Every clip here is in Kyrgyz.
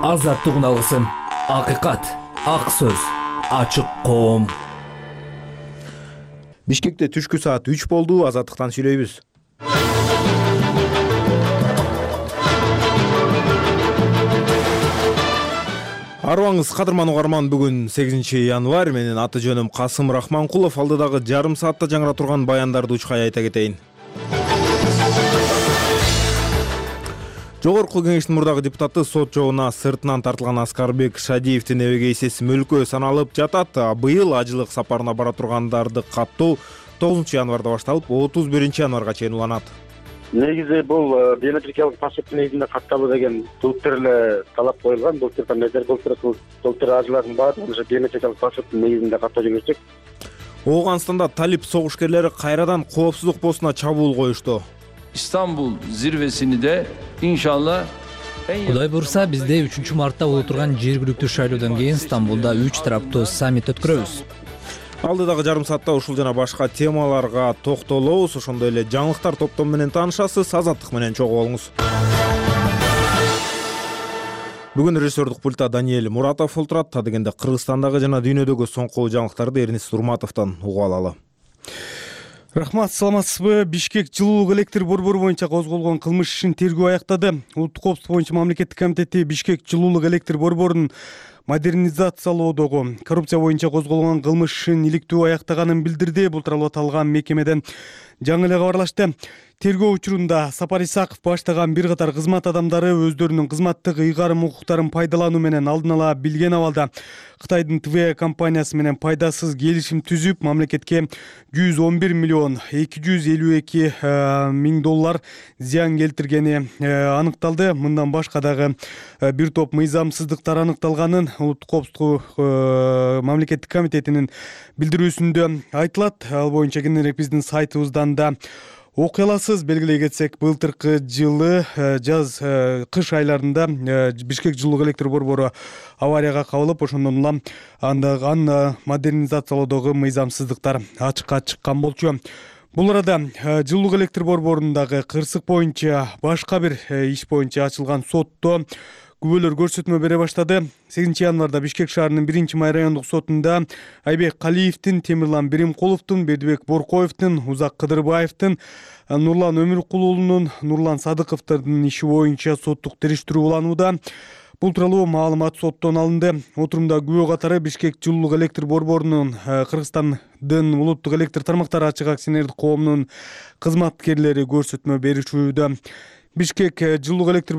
Азаттык үналысын. Акыйкат, ак сөз, ачык коом. Бишкекте түшкү саат 3 болду. Азаттыктан сүйлөйбүз. Арыбаңыз кадырман угарман, бүгүн 8 январь. Менин аты жөнүм Касым Рахманкулов. Алдыдагы жарым саатта жаңыра турган баяндарды учкай айта кетейин. Жогорку кеңештин мурдагы депутаты сот жообуна сыртынан тартылган Аскарбек Шадиевдин эбеге эсеси мөлкө саналып жатат. Быйыл ажылык сапарына бара тургандарды каттоо 9 январда башталып, 31 январга чейин уланат. Негизи бул биометрикалык паспорт негизинде катталуу деген былтыр эле талап коюлган. Былтыр ажылардын баардыгын ошо биометрикалык паспорттун негизинде каттоо жүргүздүк. Ооганстанда талип согушкерлери кайрадан коопсуздук постуна чабуул коюшту. İstanbul zirvesini de inşallah Кудай буйрса, бизде 3 мартта боло турган жергиликтүү шайлоодон кийин Стамбулда 3 тараптуу саммит өткөрөбүз. Алдыдагы жарым саатта ушул жана башка темаларга токтолобуз. Ошондой эле жаңылыктар топтому менен таанышасыз. Азаттык менен чогуу болуңуз. Бүгүн режиссердук пультта Даниэль Муратов отурат. Та дегенде Кыргызстандагы жана дүйнөдөгү соңку жаңылыктарды Эрнис Турматовдон угуп алалы. Рахмат, саламатсызбы? Бишкек жылуулук электр борбору боюнча козголгон кылмыш ишин тергөө аяктады. Улуттук коопсуздук боюнча мамлекеттик комитети Бишкек жылуулук электр борборунун модернизациялоодогу коррупция боюнча козголгон кылмыш ишин иликтүү аяктаганын билдирди. Бул тууралуу аталган мекемеден жаңы эле кабарлашты. Тергөө учурунда Сапар Исаков баштаган бир катар кызмат адамдары өздөрүнүн кызматтык ыйгарым укуктарын пайдалануу менен алдын ала билген абалда Кытайдын ТВ компаниясы менен пайдасыз келишим түзүп, мамлекетке 111 миллион 252 миң доллар зыян келтиргени аныкталды. Мындан башка дагы бир топ мыйзамсыздыктар аныкталганын Улуттук коопсуздук мамлекеттик комитетинин билдирүүсүндө айтылат. Ал боюнча кененирээк биздин сайтыбыздан да окуй аласыз. Белгилей кетсек, былтыркы жылы кыш айларында Бишкек жылуулук электр борбору аварияга кабылып, ошондон улам аны модернизациялоодогу мыйзамсыздыктар ачыкка чыккан болчу. Бул арада жылуулук электр борборундагы кырсык боюнча башка бир иш боюнча ачылган сотто күбөлөр көрсөтмө бере баштады. 8 январда Бишкек шаарынын 1-май райондук сотунда Айбек Калиевдин, Темирлан Биримкуловдун, Бердибек Боркоевдун, Узак Кыдырбаевдин, Нурлан Өмүркулунун, Нурлан Садыковдун иши боюнча соттук териштирүү уланууда. Бул тууралуу маалымат соттон алынды. Отурумда күбө катары Бишкек жылуулук электр борборунун Кыргызстандын улуттук электр тармактары ачык акционердик коомунун кызматкерлери көрсөтмө беришүүдө. Бишкек жылуулук электр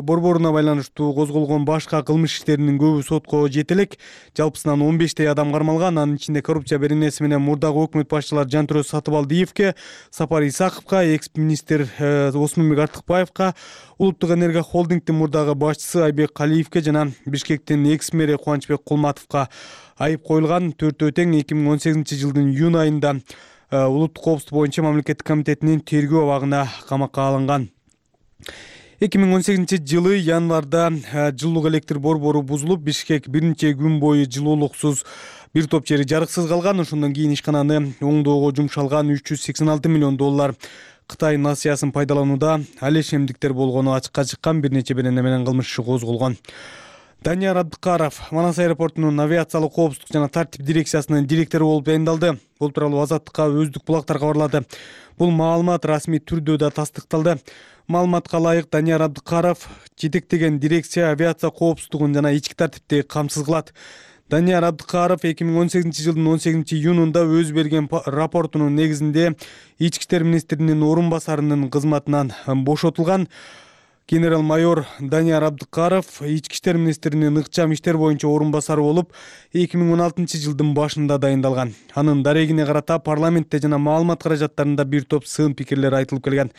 борборуна байланыштуу козголгон башка кылмыш иштеринин көбү сотко жете элек. Жалпысынан 15 адам кармалган. Анын ичинде коррупция беренеси менен мурдагы өкмөт башчылары Жантөрө Сатыбалдиевке, Сапар Исаковго, экс-министр Осмонбек Артыкбаевка, Улуттук энергия холдингдин мурдагы башчысы Айбек Калиевке жана Бишкектин экс-мэри Кубанычбек Кулматовго айып коюлган. Төртөө тең 2018 жылдын июнь айында Улуттук коопсуздук боюнча мамлекеттик комитетинин тергөө абагына камакка алынган. 2018 жылы январда жылуулук электр борбору бузулуп, Бишкек бир нече күн бою жылуулуксуз, бир топ жери жарыксыз калган. Ошондон кийин ишкананы оңдоого жумшалган 386 миллион доллар Кытай насыясын пайдаланууда алешемдиктер болгону ачыкка чыккан. Бир нече берене менен кылмыш иши козголгон. Данияр Абдыкаров Манас аэропортунун авиациялык коопсуздук жана тартип дирекциясынын директору болуп тайындалды. Бул тууралуу Азаттыкка Өздүк булактар кабарлады. Бул маалымат расмий түрдө да тастыкталды. Маалыматка ылайык, Данияр Абдыкаров жетектеген дирекция авиация коопсуздугун жана ички тартипти камсыз кылат. Данияр Абдыкаров 2018 жылдын 18 июнунда өз берген рапортунун негизинде ички иштер министринин орун басарынын кызматынан бошотулган. Генерал-майор Данияр Абдыкаров ички иштер министринин ыкчам иштер боюнча орун басары болуп 2016 жылдын башында дайындалган. Анын дарегине карата парламентте жана маалымат каражаттарында бир топ сын пикирлер айтылып келген.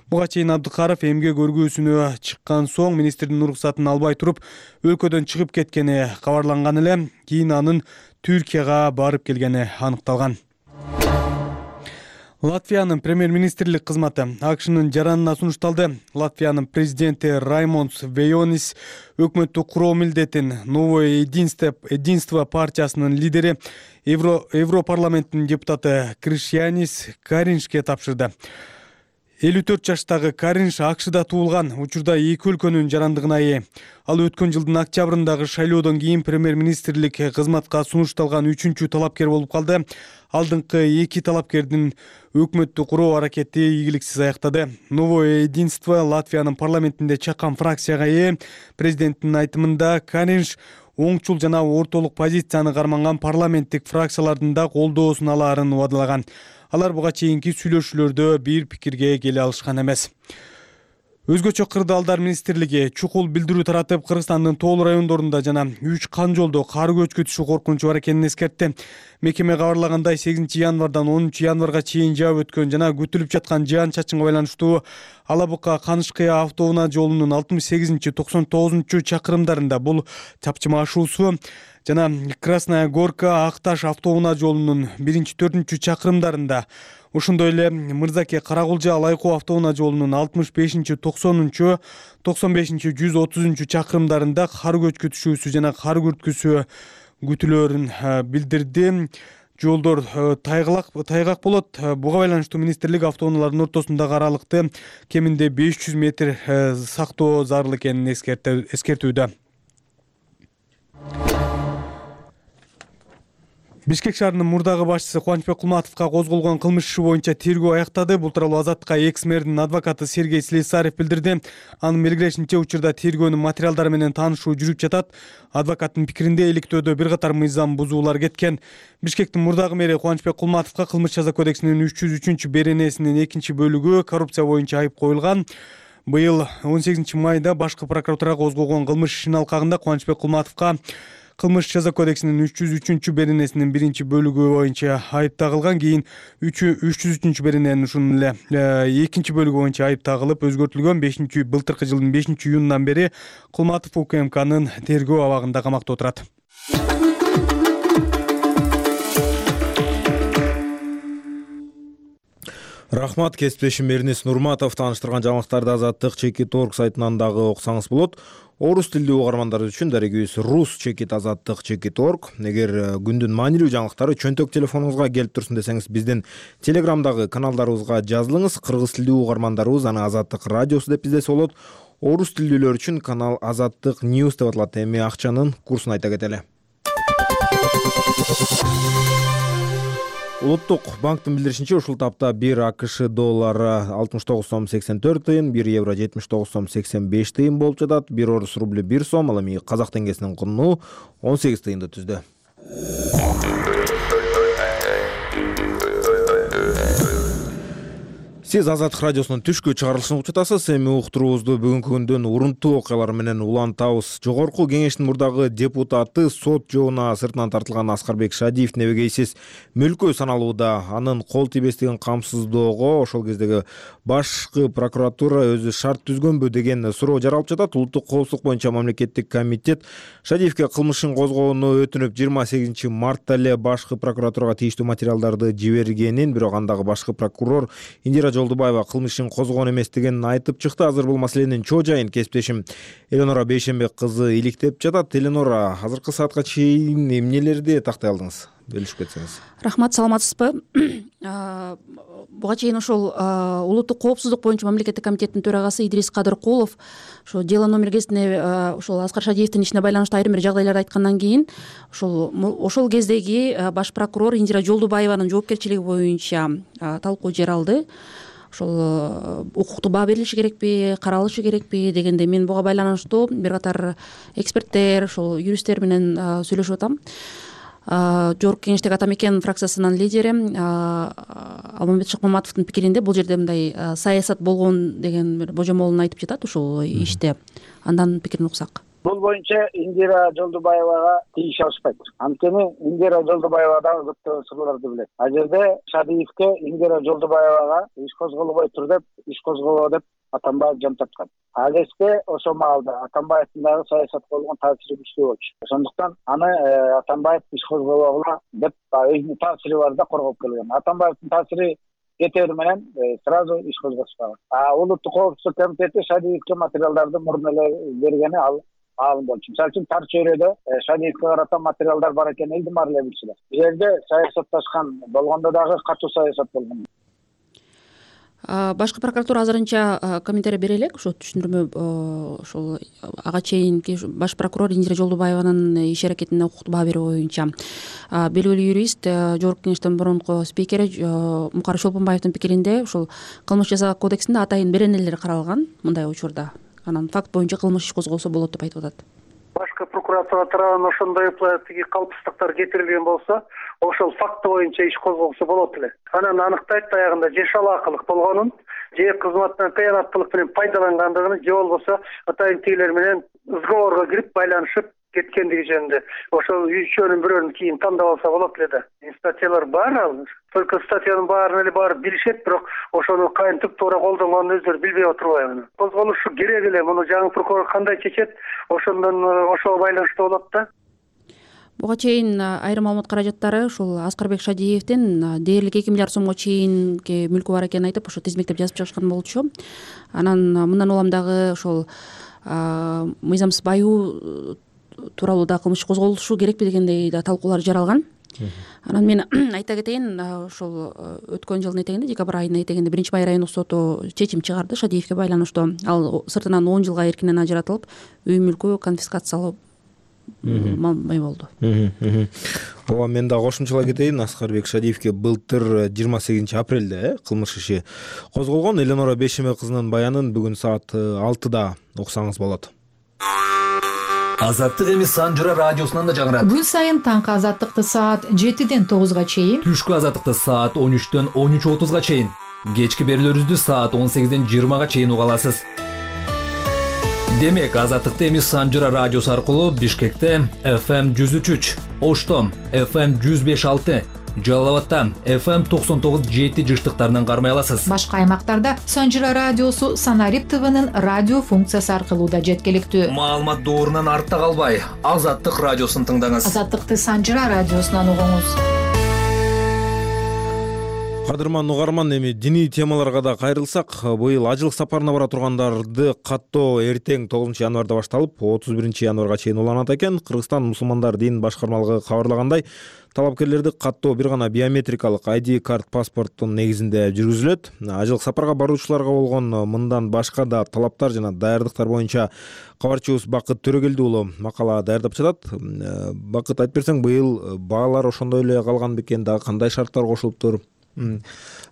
Буга чейин Абдыкаров эмгек өргүүсүнө чыккан соң министрдин уруксатын албай туруп өлкөдөн чыгып кеткени кабарланган эле. Кийин анын Түркияга барып келгени аныкталган. Латвиянын премьер-министрлик кызматы АКШнын жаранына сунушталды. Латвиянын президенти Раймондс Вейонис өкмөттү куруу милдетин Новое единство партиясынын лидери Европарламенттин депутаты Кришьянис Кариншке тапшырды. 54 жаштагы Каринш АКШда туулган, учурда эки өлкөнүн жарандыгына ээ. Ал өткөн жылдын октябрындагы шайлоодон кийин премьер-министрлик кызматка сунушталган 3-чү талапкер болуп калды. Алдыңкы эки талапкердин өкмөттү куруу аракети ийгиликсиз аяктады. Новое единство Латвиянын парламентинде чакан фракцияга ээ. Президенттин айтымында Каринш оңчул жана ортолук позицияны карманган парламенттик фракциялардын да колдоосун алаарын убадалаган. Алар буга чейинки сүйлөшүүлөрдө бир пикирге келе алышкан эмес. Өзгөчө кырдаалдар министрлиги чукул билдирүү таратып, Кыргызстандын тоол райондорунда жана 3 кан жолдо кар көчкү түшүү коркунучу бар экенин эскертти. Мекеме кабарлагандай 8 январдан 10 январга чейин жаап өткөн жана күтүлүп жаткан жаан-чачынга байланыштуу Алабука-Канышкыя автоунаа жолунун 68-99 чакырымдарында бул чапчыма ашуусу жана Красная Горка Акташ автоунаа жолунун 1-4 чакырымдарында, ошондой эле Мырзаке Каракулжа Алайкоо автоунаа жолунун 65-90, 95-130 чакырымдарында кар көчкү түшүүсү жана кар күрткүсү күтүлөөрүн билдирди. Жолдор тайгак болот. Буга байланыштуу министрлик автоунаалардын ортосундагы аралыкты кеминде 500 метр сактоо зарыл экенин эскертүүдө. Бишкек шаарынын мурдагы башчысы Кубанычбек Кулматовго козголгон кылмыш иши боюнча тергөө аяктады. Бул тууралуу Азаттыкка экс-мэрдин адвокаты Сергей Слесарев билдирди. Анын белгилешинче, учурда тергөөнүн материалдары менен таанышуу жүрүп жатат. Адвокаттын пикиринде иликтөөдө бир катар мыйзам бузуулар кеткен. Бишкектин мурдагы мэри Кубанычбек Кулматовго Кылмыш жаза кодексинин 303 беренесинин 2-бөлүгү коррупция боюнча айып коюлган. Быйыл 18 майда башкы прокуратура козгогон кылмыш ишинин алкагында Кубанычбек Кулматовго Кылмыш жаза кодексинин 303 беренесинин 1-бөлүгү боюнча айып тагылган. Кийин 303 берененин ушунун эле 2-бөлүгү боюнча айып тагылып өзгөртүлгөн. Былтыркы жылдын 5-июнунан бери Кулматов УКМКнын тергөө абагында камакта отурат. Рахмат, кесиптешим Эрнис Нурматов тааныштырган жаңылыктарды Азаттык Чекит.org сайтынан дагы окусаңыз болот. Орус тилдүү угармандар үчүн дарегибиз Рус Чекит Азаттык Чекит.org. Эгер күндүн маанилүү жаңылыктары чөнтөк телефонуңузга келип турсун десеңиз, биздин Телеграмдагы каналдарыбызга жазылыңыз. Кыргыз тилдүү угармандарыбыз аны Азаттык радиосу деп издесе болот. Орус тилдүүлөр үчүн канал Азаттык News деп аталат. Эми акчанын курсун айта кетели. Улуттук банктын билдиришинче, ушул тапта 1 АКШ доллары 69 сом 84 тыйын, 1 евро 79 сом 85 тыйын болуп жатат. 1 орус рубль 1 сом, ал эми казак теңгесинин курну 18 тыйынды түздү. Сиз Азаттык радиосунун түшкү чыгарылышын угуп жатасыз. Эми уктуруубузду бүгүнкү күндүн урунттуу окуялары менен улантабыз. Жогорку кеңештин мурдагы депутаты сот жообуна сыртынан тартылган Аскарбек Шадиевдин эбегейсиз мүлкү саналууда. Анын кол тийбестигин камсыздоого ошол кездеги башкы прокуратура өзү шарт түзгөнбү деген суроо жаралып жатат. Улуттук коопсуздук боюнча мамлекеттик комитет Шадиевге кылмышын козгоону өтүнүп 28 мартта эле башкы прокуратурага тийиштүү материалдарды жибергенин, бирок андагы башкы прокурор Индира Жолдубаева кылмышын козгогон эместигин айтып чыкты. Азыр бул маселенин чоо жайын кесиптешим Эленора Бейшенбек кызы иликтеп жатат. Эленора, азыркы саатка чейин эмнелерди тактай алдыңыз? Бөлүшүп кетсеңиз. Рахмат, саламатсызбы? Буга чейин ошол улуттук коопсуздук боюнча мамлекеттик комитеттин төрагасы Идрис Кадыркулов ошо дело номер кезинде ошол Аскар Шадиевдин ишине байланыштуу айрым бир жагдайларды айткандан кийин ошол кездеги баш прокурор Индира Жолдубаеванын жоопкерчилиги боюнча талкуу жаралды. Ошол укуктуу баа берилиши керекпи, каралышы керекпи дегенде мен буга байланыштуу бир катар эксперттер, ошол юристтер менен сүйлөшүп атам. Жогорку кеңештеги Ата Мекен фракциясынын лидери Алмамбет Шыкмаматовдун пикиринде бул жерде мындай саясат болгон деген бир божомолун айтып жатат ушул иште. Андан пикирин уксак. Бул боюнча Индира Жолдубаевага тийиш алышпайт. Анткени Индира Жолдубаева дагы көптөгөн сырларды билет. А жерде Шадиевге Индира Жолдубаевага иш козголбой тур деп, иш козголо деп Атамбаев жан тарткан. А кезде ошол маалда Атамбаевдин дагы саясатка болгон таасири күчтүү болчу. Ошондуктан аны Атамбаев иш козголгула деп өзүнүн таасири бар да коргоп келген. Атамбаевдин таасири кетери менен сразу иш козготушпаган. Улуттук коопсуздук комитети Шадиевге материалдарды мурун эле бергени алым болчу. Мисалы үчүн Тар чөйрөдө Шадиевге карата материалдар бар экенин элдин баары эле билчүлөр. Бул жерде саясатташкан болгондо дагы катуу саясат болгон. Башкы прокуратура азырынча комментарий бере элек, ошо түшүндүрмө ошол ага чейинки баш прокурор Индира Жолдубаеванын иш аракетине укуктуу баа берүү боюнча белгилүү юрист, жогорку кеңештин мурунку спикери Мукар Чолпонбаевдин пикиринде ушул кылмыш жаза кодексинде атайын беренелер каралган мындай учурда. Анан факт боюнча кылмыш иш козголсо болот деп айтып атат. Башкы прокуратура тарабынан ошондой тиги калпсыздыктар кетирилген болсо, ошол факты боюнча иш козголсо болот эле. Анан аныктайт аягында же шалаакылык болгонун, же кызматтан кыянаттуулук менен пайдалангандыгын, же болбосо атайын тигилер менен сговорго кирип байланышып кеткендиги жөнүндө. Ошол үчөөнүн бирөөнүн кийин тандап алса болот эле да. Статьялар бар ал. Только статьянын баарын эле барып билишет, бирок ошону кантип туура колдонгонун өздөрү билбей отурбайбы. Козголушу керек эле. Муну жаңы прокурор кандай чечет, ошого байланыштуу болот да. Буга чейин айрым маалымат каражаттары ушул Аскарбек Шадиевдин дээрлик 2 миллиард сомго чейинки мүлкү бар экенин айтып, ошо тизмектеп жазып чыгышкан болчу. Анан мындан улам дагы ошол мыйзамсыз байоо тууралуу да кылмыш козголушу керекпи дегендей да талкуулар жаралган. Анан мен айта кетейин, ошол өткөн жылдын этегинде, декабрь айынын этегинде 1-Май райондук соту чечим чыгарды Шадиевге байланыштуу. Ал сыртынан 10 жылга эркинен ажыратылып, үй мүлкү конфискациялуу болду. Ооба, мен да кошумчалай кетейин. Аскарбек Шадиевге былтыр 28 апрелде кылмыш иши козголгон. Эленора Бешеме кызынын баянын бүгүн саат 6-да уксаңыз болот. Азаттык эми Санжыра радиосунан да жаңырат. Күн сайын таңкы азаттыкты саат 7-ден 9-га чейин, Түшкү азаттыкты саат 13-төн 13:30-га чейин, кечки берүүлөрүбүздү саат 18-ден 20-га чейин уга аласыз. Демек, азаттыкты эми Санжыра радиосу аркылуу Бишкекте FM 103, Ошто FM 105.6, Жалал Абадта FM 99.7 жыштыктарынан кармай аласыз. Башка аймактарда Санжыра радиосу Санарип ТВнын радио функциясы аркылуу да жеткиликтүү. Маалымат доорунан артта калбай, Азаттык радиосун тыңдаңыз. Азаттыкты Санжыра радиосунан угуңуз. Кадырман угарман, эми диний темаларга да кайрылсак, быйыл ажылык сапарына бара тургандарды каттоо эртең 9 январда башталып, 31 январга чейин уланат экен. Кыргызстан мусулмандар дин башкармалыгы кабарлагандай, талапкерлерди каттоо бир гана биометрикалык ID карт паспорттун негизинде жүргүзүлөт. Ажылык сапарга баруучуларга болгон мындан башка да талаптар жана даярдыктар боюнча кабарчыбыз Бакыт Төрөгелди уулу макала даярдап жатат. Бакыт, айтып берсең, быйыл баалар ошондой эле калган бекен, дагы кандай шарттар кошулуптур?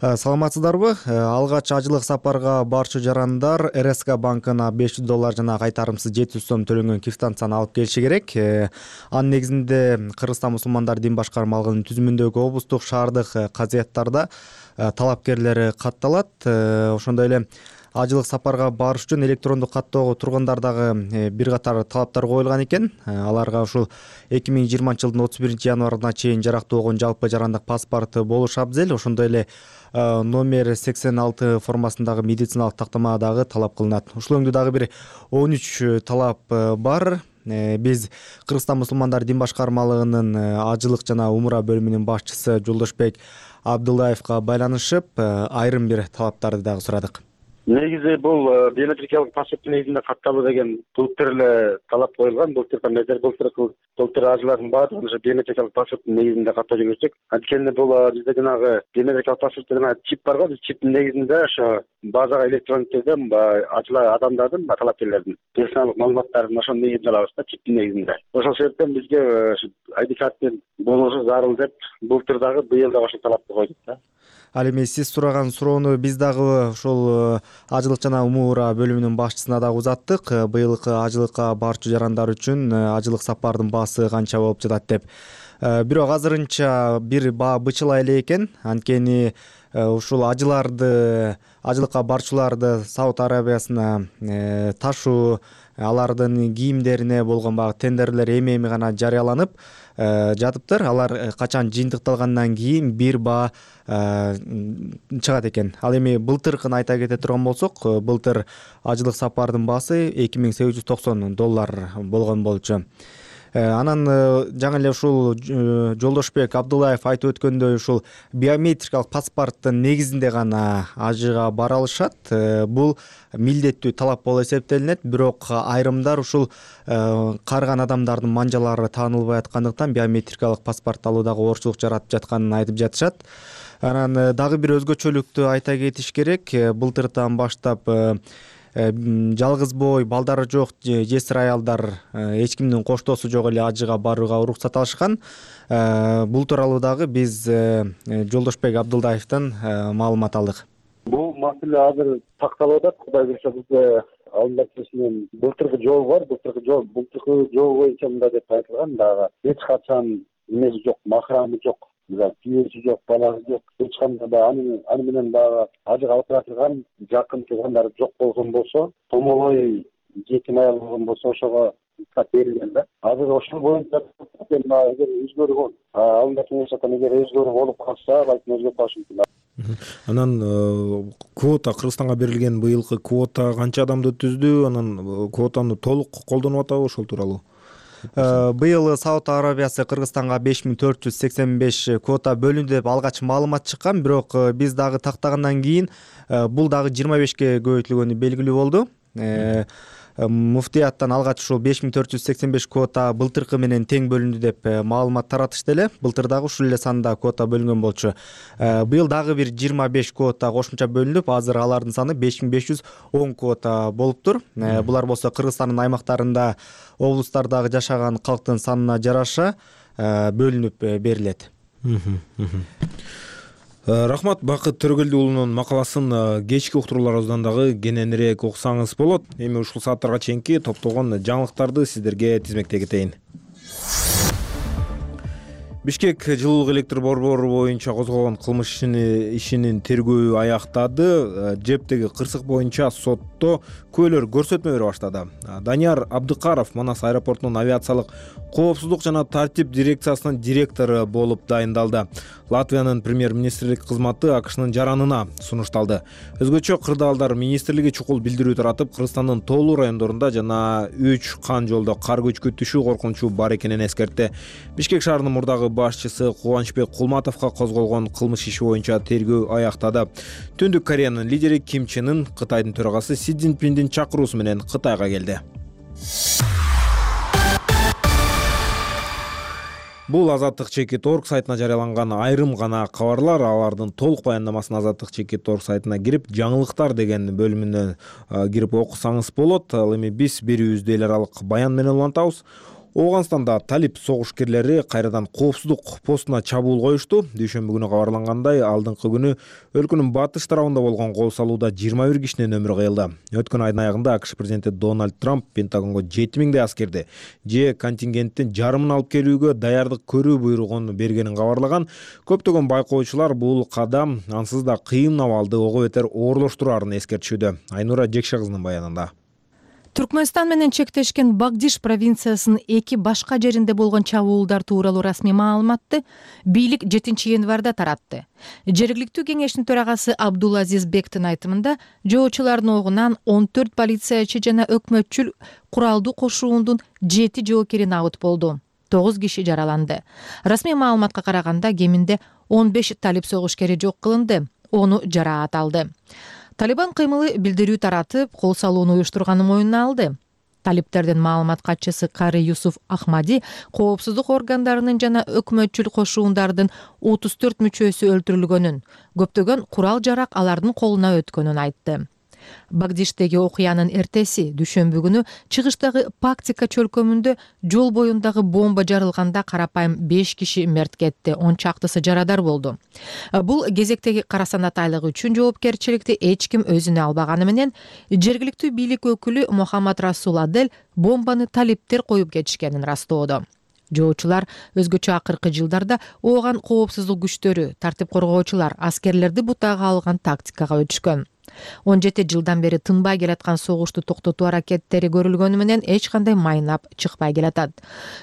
Саламатсыздарбы? Алгач ажылык сапарга барчу жарандар РСК банкына $500 жана кайтарымсыз 700 сом төлөнгөн квитанцияны алып келиши керек. Анын негизинде Кыргызстан мусулмандар дин башкармалыгынын түзүмүндөгү облустук шаардык казыяттарда талапкерлери катталат. Ошондой эле ажылык сапарга барыш үчүн электрондук каттоого тургундар дагы бир катар талаптар коюлган экен. Аларга ушул 2020-жылдын 31 январына чейин жарактуу болгон жалпы жарандык паспорт болушу абзел. Ошондой эле номер 86 формасындагы медициналык тактама дагы талап кылынат. Ушул өңдө дагы бир 13 талап бар. Биз Кыргызстан мусулмандар дин башкармалыгынын ажылык жана умура бөлүмүнүн башчысы Жолдошбек Абдуллаевга байланышып, айрым бир талаптарды дагы сурадык. Негизи бул биометрикалык паспорттун негизинде катталуу деген былтыр эле талап коюлган. Былтыр ажылардын баардыгын ошо биометрикалык паспорттун негизинде каттоо жүргүздүк. Анткени бул бизде жанагы биометрикалык паспортто жана чип барго, биз чиптин негизинде ошо базага электрондук түрдө ажылар адамдардын, талапкерлердин персоналдык маалыматтарын ошонун негизинде алабыз да, чиптин негизинде. Ошол себептен бизге ID карттын болушу зарыл деп былтыр дагы быйыл дагы ошол талапты койдук да. Ал эми сиз сураган суроону биз дагы ошол ажылык жана умура бөлүмүнүн башчысына дагы узаттык. Быйылкы ажылыкка барчу жарандар үчүн ажылык сапардын баасы канча болуп жатат деп. Бирок азырынча бир баа бычыла эле экен. Анткени ушул ажылыкка барчуларды Сауд Арабиясына ташуу, алардын кийимдерине болгон баягы тендерлер эми гана жарыяланып жатыптыр. Алар качан жыйынтыкталгандан кийин бир баа чыгат экен. Ал эми былтыркын айта кете турган болсок, былтыр ажылык сапардын баасы $2890 болгон болчу. Анан жаңы эле ушул Жолдошбек Абдуллаев айтып өткөндөй, ушул биометрикалык паспорттун негизинде гана ажыга бара алышат. Бул милдеттүү талап болуп эсептелинет, бирок айрымдар ушул карыган адамдардын манжалары таанылбай аткандыктан биометрикалык паспорт алуудагы оорчулук жаратып жатканын айтып жатышат. Анан дагы бир өзгөчөлүктү айта кетиш керек. Былтыртан баштап жалгыз бой, балдары жок жесир аялдар эч кимдин коштоосу жок эле ажыга барууга уруксат алышкан. Бул тууралуу дагы биз Жолдошбек Абдылдаевден маалымат алдык. Бул маселе азыр такталып атат. Кудай буюрса бизде алдында менен былтыркы жол бар. Былтыркы жол боюнча мындай деп айтылган, дагы эч качан эмеси жок, махрамы жок, күйөөсү жок, баласы жок, эч кандай аны менен дагы ажыга алып баратырган жакын туугандары жок болгон болсо, томолой жетим аял болгон болсо ошого берилген да. Азыр ошол боюнча эгер өзгөргөн, алдында кеңешатан эгер өзгөрүү болуп калса, балким өзгөрүп калышы мүмкүн. Анан квота Кыргызстанга берилген быйылкы квота канча адамды түздү? Анан квотаны толук колдонуп атабы, ошол тууралуу? Быйыл Сауд Арабиясы Кыргызстанга 5485 квота бөлүндү деп алгач маалымат чыккан, бирок биз дагы тактагандан кийин бул дагы 25ке көбөйтүлгөнү белгилүү болду. Муфтияттан алгач ушул 5485 квота былтыркы менен тең бөлүндү деп маалымат таратышты эле. Былтыр дагы ушул эле санда квота бөлүнгөн болчу. Быйыл дагы бир 25 квота кошумча бөлүнүп, азыр алардын саны 5510 квота болуптур. Булар болсо Кыргызстандын аймактарында, облустардагы жашаган калктын санына жараша бөлүнүп берилет. Рахмат. Бакыт Төрөгелди уулунун макаласын кечки уктурууларыбыздан дагы кененирээк окусаңыз болот. Эми ушул сааттарга чейинки топтогон жаңылыктарды сиздерге тизмектей кетейин. Бишкек жылуулук электр борбору боюнча козголгон кылмыш ишинин тергөөү аяктады. Жептеги кырсык боюнча сотто күбөлөр көрсөтмө бере баштады. Данияр Абдыкаров Манас аэропортунун авиациялык коопсуздук жана тартип дирекциясынын директору болуп дайындалды. Латвиянын премьер-министрлик кызматы АКШнын жаранына сунушталды. Өзгөчө кырдаалдар министрлиги чукул билдирүү таратып, Кыргызстандын тоолуу райондорунда жана 3 кан жолдо кар көчкү түшүү коркунучу бар экенин эскертти. Бишкек шаарынын мурдагы башчысы Кубанычбек Кулматовго козголгон кылмыш иши боюнча тергөө аяктады. Түндүк Кореянын лидери Ким Чен Ын Кытайдын төрагасы Си Цзиньпиндин чакыруусу менен Кытайга келди. Бул Азаттык.org сайтына жарыяланган айрым гана кабарлар. Алардын толук баяндамасын Азаттык.org сайтына кирип, жаңылыктар деген бөлүмүнө кирип окусаңыз болот. Ал эми биз берүүбүздү эл аралык баян менен улантабыз. Ооганстанда талип согушкерлери кайрадан коопсуздук постуна чабуул коюшту. Дүйшөмбү күнү кабарлангандай, алдыңкы күнү өлкөнүн батыш тарабында болгон кол салууда 21 кишинин өмүрү кыйылды. Өткөн айдын аягында АКШ президенти Дональд Трамп Пентагонго 7000 аскерди же контингенттин жарымын алып келүүгө даярдык көрүү буйругун бергенин кабарлаган. Көптөгөн байкоочулар бул кадам ансыз да кыйын абалды ого бетер оорлоштурарын эскертишүүдө. Айнура Жекше кызынын баянында. Түркмөнстан менен чектешкен Багдиш провинциясынын 2 башка жеринде болгон чабуулдар тууралуу расмий маалыматты бийлик 7 январда таратты. Жергиликтүү кеңештин төрагасы Абдулазиз Бектин айтымында, жоочулардын огунан 14 полициячы жана өкмөтчүл куралдуу кошуундун 7 жоокери набыт болду. 9 киши жараланды. Расмий маалыматка караганда кеминде 15 талип согушкери жок кылынды, 10 жараат алды. Талибан кыймылы билдирүү таратып, кол салууну уюштурганын моюнуна алды. Талиптердин маалымат катчысы Кари Юсуф Ахмади коопсуздук органдарынын жана өкмөтчүл кошуундардын 34 мүчөсү өлтүрүлгөнүн, көптөгөн курал жарак алардын колуна өткөнүн айтты. Багдиштеги окуянын эртеси дүйшөмбү күнү чыгыштагы Пактика чөлкөмүндө жол боюндагы бомба жарылганда карапайым 5 киши мерт кетти, 10 чактысы жарадар болду. Бул кезектеги кара санатайлык үчүн жоопкерчиликти эч ким өзүнө албаганы менен жергиликтүү бийлик өкүлү Мухаммад Расул Адель бомбаны талиптер коюп кетишкенин растоодо. Жоочулар өзгөчө акыркы жылдарда ооган коопсуздук күчтөрү, тартип коргоочулар аскерлерди бутага алган тактикага өтүшкөн. 17 жылдан бери тынбай келаткан согушту токтотуу аракеттери көрүлгөнү менен эч кандай майнап чыкпай келатат.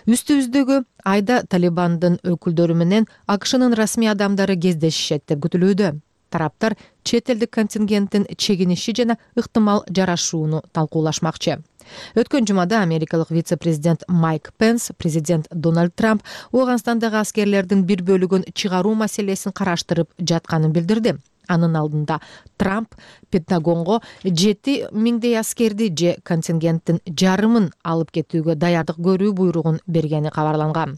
Үстүбүздөгү айда Талибандын өкүлдөрү менен АКШнын расмий адамдары кездешишет деп күтүлүүдө. Тараптар чет элдик контингенттин чегиниши жана ыктымал жарашууну талкуулашмакчы. Өткөн жумада америкалык вице-президент Майк Пенс президент Дональд Трамп Ооганстандагы аскерлердин бир бөлүгүн чыгаруу маселесин караштырып жатканын билдирди. Анын алдында Трамп Пентагонго 7 миңдей аскерди же контингенттин жарымын алып кетүүгө даярдык көрүү буйругун бергени кабарланган.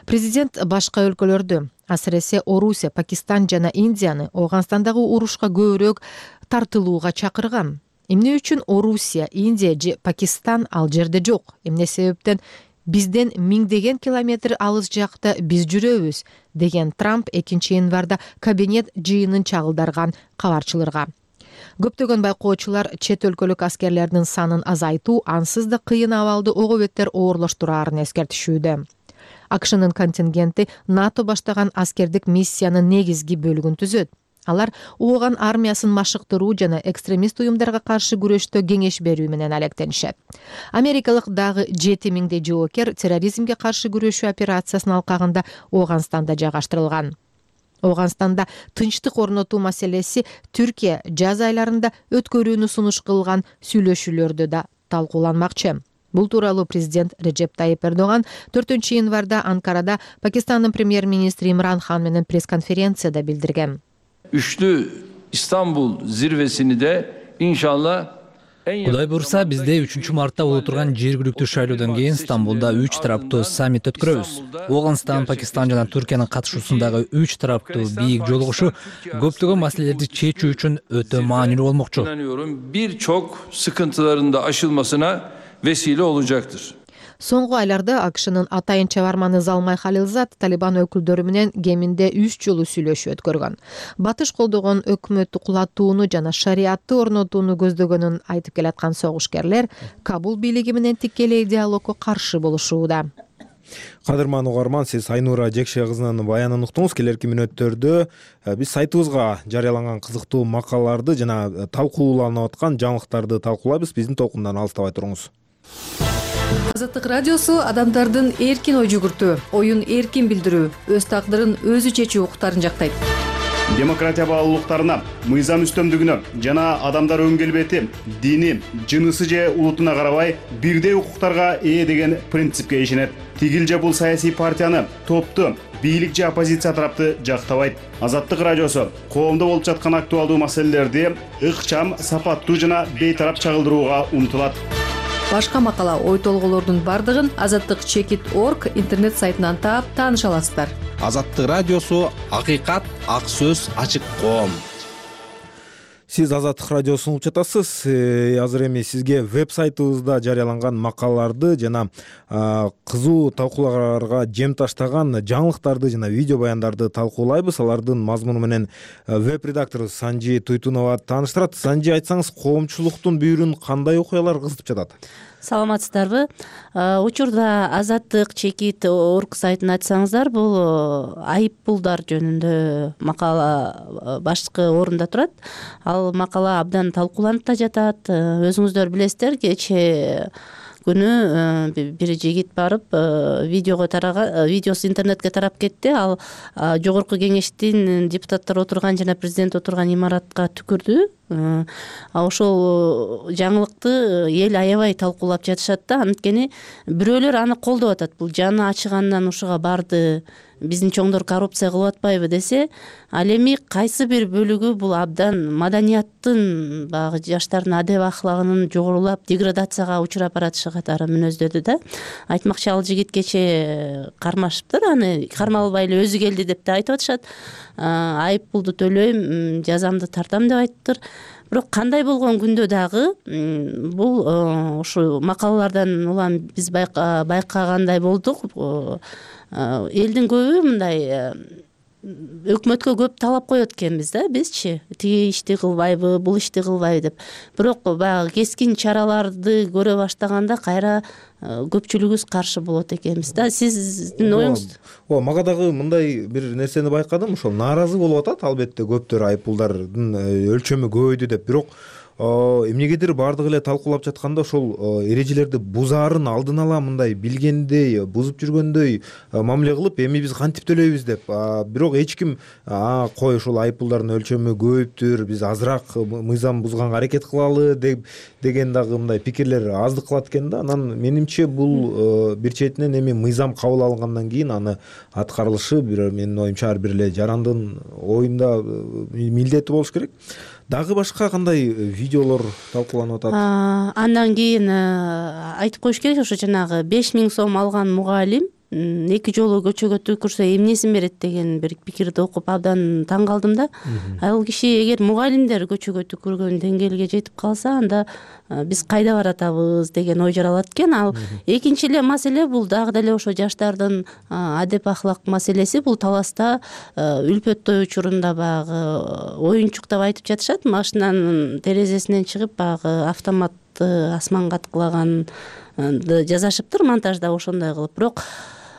Президент башка өлкөлөрдү, асыресе Орусия, Пакистан жана Индияны Ооганстандагы урушка көбүрөөк тартылууга чакырган. Эмне үчүн Орусия, Индия же Пакистан ал жерде жок? Эмне себептен бизден миңдеген километр алыс жакта биз жүрөбүз, деген Трамп 2 январда кабинет жыйынын чагылдарган кабарчыларга. Көптөгөн байкоочулар чет өлкөлүк аскерлердин санын азайтуу ансыз да кыйын абалды ого беттер оорлоштураарын эскертишүүдө. АКШнын контингенти НАТО баштаган аскердик миссиянын негизги бөлүгүн түзөт. Алар Ооган армиясын машыктыруу жана экстремист уюмдарга каршы күрөштө кеңеш берүү менен алектенишет. Америкалык дагы 7 миңдей жоокер терроризмге каршы күрөшүү операциясынын алкагында Ооганстанда жайгаштырылган. Ооганстанда тынчтык орнотуу маселеси Түркия жаз айларында өткөрүүнү сунуш кылган сүйлөшүүлөрдө да талкууланмакчы. Бул тууралуу президент Режеп Тайип Эрдоган 4 январда Анкарада Пакистандын премьер-министри Имран Хан менен пресс-конференцияда билдирген. Üçlü İstanbul zirvesini de inşallah Кудай буйрса, бизде 3 мартта боло турган жергиликтүү шайлоодон кийин Стамбулда 3 тараптуу саммит өткөрөбүз. Ооганстан, Пакистан жана Түркиянын катышуусундагы 3 тараптуу бийик жолугушуу көптөгөн маселелерди чечүү үчүн өтө маанилүү болмокчу. Birçok sıkıntıların da aşılmasına vesile olacaktır. Соңку айларда АКШнын атайын чабарманы Залмай Халилзад Талибан өкүлдөрү менен кеминде 3 жолу сүйлөшүү өткөргөн. Батыш колдогон өкмөттү кулатууну жана шариатты орнотууну көздөгөнүн айтып келаткан согушкерлер Кабул бийлиги менен тикелей диалогго каршы болушууда. Кадырман угарман, сиз Айнура Жекше кызынын баянын уктуңуз. Келерки мүнөттөрдө биз сайтыбызга жарыяланган кызыктуу макалаларды жана талкууланып аткан жаңылыктарды талкуулайбыз. Биздин толкундан алыстабай туруңуз. Азаттык радиосу адамдардын эркин ой жүгүртүү, оюн эркин билдирүү, өз тагдырын өзү чечүү укуктарын жактайт. Демократия баалуулуктарына, мыйзам үстөмдүгүнө жана адамдар өн келбети, дини, жынысы же улутуна карабай бирдей укуктарга ээ деген принципке ишенет. Тигил же бул саясий партияны, топту, бийлик же оппозиция тарапты жактабайт. Азаттык радиосу коомдо болуп жаткан актуалдуу маселелерди ыкчам, сапаттуу жана бейтарап чагылдырууга умтулат. Башка макала, ой толголордун бардыгын azattik.org интернет сайтынан таап тааныша аласыздар. Азаттык радиосу акыйкат, ак сөз, ачык коом. Сиз Азаттык радиосун угуп жатасыз. Азыр эми сизге веб-сайтыбызда жарыяланган макалаларды жана кызуу талкууларга жем таштаган жаңылыктарды жана видео баяндарды талкуулайбыз. Алардын мазмуну менен веб-редактору Санжи Туйтунова тааныштырат. Санжи, айтсаңыз, коомчулуктун бүйүрүн кандай окуялар кызытып жатат? Саламатсыздарбы? Учурда azattik.org сайтын ачсаңыздар, бул айыппулдар жөнүндө макала башкы орунда турат. Ал макала абдан талкууланып да жатат. Өзүңүздөр билесиздер, кечээ күнү бир жигит барып видеосу интернетке тарап кетти. Ал жогорку кеңештин депутаттары отурган жана президент отурган имаратка түкүрдү. Ошол жаңылыкты эл аябай талкуулап жатышат да. Анткени бирөөлөр аны колдоп атат. Бул жаны ачыгандан ушуга барды, биздин чоңдор коррупция кылып атпайбы десе, ал эми кайсы бир бөлүгү бул абдан маданияттын, баягы жаштардын адеп ахлагынын жогорулап, деградацияга учурап баратышы катары мүнөздөрдү да. Айтмакчы, ал жигит кечээ кармашыптыр, аны кармалбай эле өзү келди деп да айтып атышат. Айып пулду төлөйм, жазамды тартам деп айтыптыр. Бирок кандай болгон күндө дагы бул ушу макалалардан улам биз байкагандай болдук. Элдин көбү мындай өкмөткө көп талап коет экенбиз да, бизчи тиги ишти кылбайбы, бул ишти кылбайбы деп. Бирок баягы кескин чараларды көрө баштаганда кайра көпчүлүгүбүз каршы болот экенбиз да. Сиздин оюңуз? Мага дагы мындай бир нерсени байкадым. Ошол нааразы болуп атат, албетте көптөр айыппулдардын өлчөмү көбөйдү деп. Бирок эмнегедир баардыгы эле талкуулап жатканда ошол эрежелерди бузаарын алдын ала мындай билгендей, бузуп жүргөндөй мамиле кылып, эми биз кантип төлөйбүз деп. Бирок эч ким кой ушул айып пулдардын өлчөмү көбүптүр, биз азыраак мыйзам бузганга аракет кылалы деген дагы мындай пикирлер аздык кылат экен да. Анан менимче бул бир четинен эми мыйзам кабыл алынгандан кийин аны аткарылышы менин оюмча ар бир эле жарандын оюнда милдети болуш керек. Дагы башка кандай видеолор талкууланып атат? Андан кийин айтып коюш керек, ошо жанагы 5000 сом алган мугалим 2 жолу көчөгө түкүрсө эмнесин берет деген бир пикирди окуп абдан таң калдым да. Ал киши эгер мугалимдер көчөгө түкүргөн деңгээлге жетип калса, анда биз кайда баратабыз деген ой жаралат экен. Ал экинчи эле маселе, бул дагы деле ошо жаштардын адеп ахлак маселеси. Бул таласта үлпөт той учурунда баягы оюнчук деп айтып жатышат, машинанын терезесинен чыгып баягы автоматты асманга аткылаганды жазашыптыр монтажда ошондой кылып. Бирок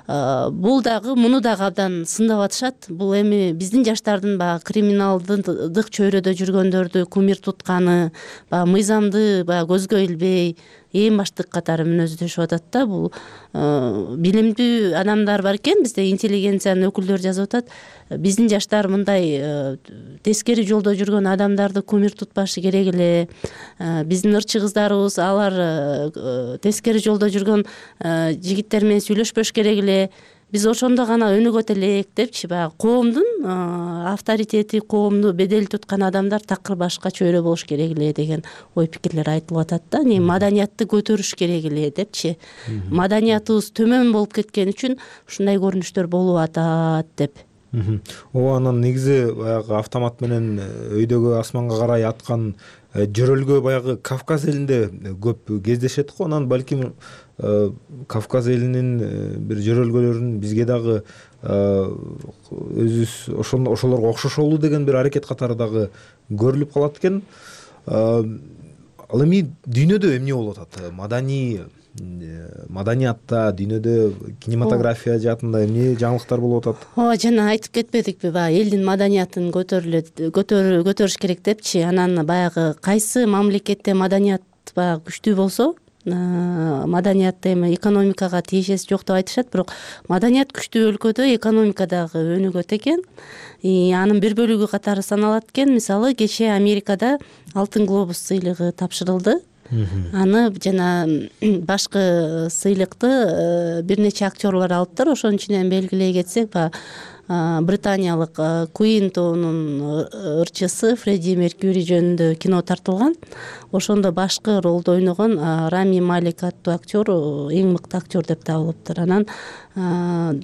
бул дагы муну дагы абдан сындап атышат. Бул эми биздин жаштардын баягы криминалдык чөйрөдө жүргөндөрдү кумир тутканы, баягы мыйзамды баягы көзгө илбей эң баштык катары мүнөздөшүп атат да. Бул билимдүү адамдар бар экен, бизде интеллигенциянын өкүлдөрү жазып атат. Биздин жаштар мындай тескери жолдо жүргөн адамдарды кумир тутпашы керек эле. Биздин ырчы кыздарыбыз алар тескери жолдо жүргөн жигиттер менен сүйлөшпөш керек эле. Биз ошондо гана өнүгөт элек депчи, баягы коомдун авторитети, коомду бедел туткан адамдар такыр башка чөйрө болуш керек эле деген ой пикирлер айтылып атат да. Маданиятты көтөрүш керек эле депчи. Маданиятыбыз төмөн болуп кеткен үчүн ушундай көрүнүштөр болуп атат деп. Анан негизи баягы автомат менен өйдөгө асманга карай аткан жөрөлгө баягы Кавказ элинде көп кездешет го. Анан балким Кавказ элинин бир жөрөлгөлөрүн бизге дагы өзүбүз ошолорго окшошолу деген бир аракет катары дагы көрүлүп калат экен. Ал эми дүйнөдө эмне болуп атат? Маданиятта, дүйнөдө кинематография жаатында эмне жаңылыктар болуп атат? Жана айтып кетпедикпи, баягы элдин маданиятын көтөрүш керек депчи. Анан баягы кайсы мамлекетте маданият баягы күчтүү болсо, маданиятта эми экономикага тиешеси жок деп айтышат, бирок маданият күчтүү өлкөдө экономика дагы өнүгөт экен. Анын бир бөлүгү катары саналат экен. Мисалы, кечээ Америкада Алтын глобус сыйлыгы тапшырылды. Аны жана башкы сыйлыкты бир нече актерлор алыптыр. Ошонун ичинен белгилей кетсек, британиялык Queen тоонун ырчысы Фредди Меркьюри жөнүндө кино тартылган. Ошондо башкы ролду ойногон Рами Малик аттуу актер эң мыкты актер деп табылыптыр. Анан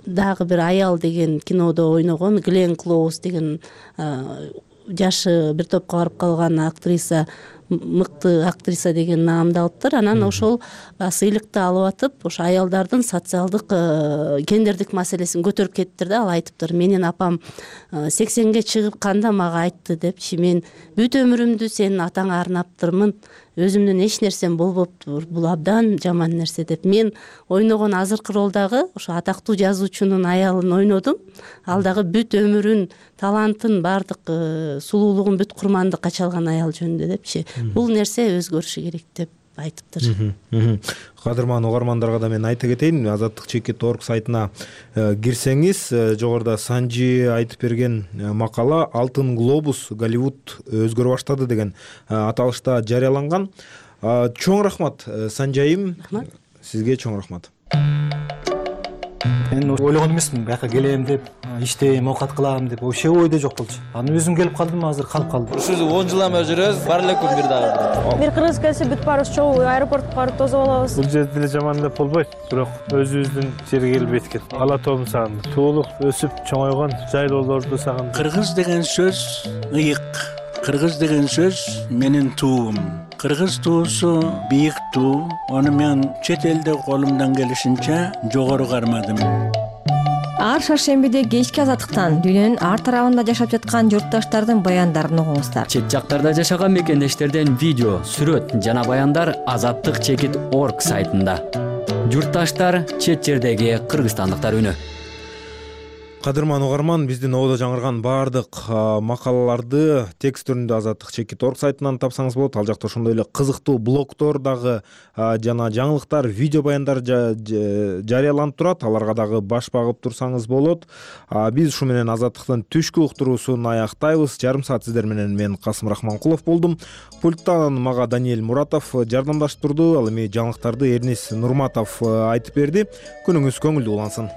дагы бир аял деген кинодо ойногон Глен Клоуз деген жашы бир топко барып калган актриса, мыкты актриса деген наамды алыптыр. Анан ошол сыйлыкты алып атып, ошо аялдардын социалдык гендердик маселесин көтөрүп кетиптир да. Ал айтыптыр: менин апам 80ге чыгып мага айтты депчи, мен бүт өмүрүмдү сенин атаңа арнаптырмын, өзүмдүн эч нерсем болбоптур, бул абдан жаман нерсе деп. Мен ойногон азыркы ролдагы ошо атактуу жазуучунун аялын ойнодум. Ал дагы бүт өмүрүн, талантын, баардык сулуулугун бүт курмандыкка чалган аял жөнүндө депчи. Бул нерсе өзгөрүшү керек деп айтыптыр. Кадырман угармандарга да мен айта кетейин, azadlik.org сайтына кирсеңиз, жогоруда Санжи айтып берген макала Алтын глобус Голливуд өзгөрө баштады деген аталышта жарыяланган. Чоң рахмат Санжайым, сизге чоң рахмат. Мен ойлогон эмесмин, бияка келем деп, иштейм, оокат кылам деп, вообще ойдо жок болчу. Анан өзүм келип калдым, азыр калып калдым. Ушул 10 жылдан бери жүрөбүз, бар эле күн бир дагы. Бир кыргыз келсе бүт баарыбыз чогуу аэропортко барып тосуп алабыз. Бул жерде деле жаман деп болбойт, бирок өзүбүздүн жерге келбейт экен. Ала тоомду сагындым. Туулуп, өсүп, чоңойгон жайлоолорду сагындым. Кыргыз деген сөз ыйык. Кыргыз деген сөз менин туум. Кыргыз туусу бийик туу. Аны мен чет элде колумдан келишинче жогору кармадым. Ар шаршембиде кечки азаттыктан дүйнөнүн ар тарабында жашап жаткан журтташтардын баяндарын угуңуздар. Чет жактарда жашаган мекендештерден видео, сүрөт жана баяндар azadlik.org сайтында. Журтташтар, чет жердеги кыргызстандыктар үнү. Кадырман угарман, биздин ободо жаңырган баардык макалаларды текст түрүндө Азаттык чекит.org сайтынан тапсаңыз болот. Ал жакта ошондой эле кызыктуу блогдор дагы жана жаңылыктар, видео баяндар жарыяланып турат. Аларга дагы баш багып турсаңыз болот. Биз ушу менен Азаттыктын түшкү уктуруусун аяктайбыз. Жарым саат сиздер менен мен Касым Рахманкулов болдум. Пульттан мага Даниэль Муратов жардамдашып турду. Ал эми жаңылыктарды Эрнис Нурматов айтып берди. Күнүңүз көңүлдүү улансын.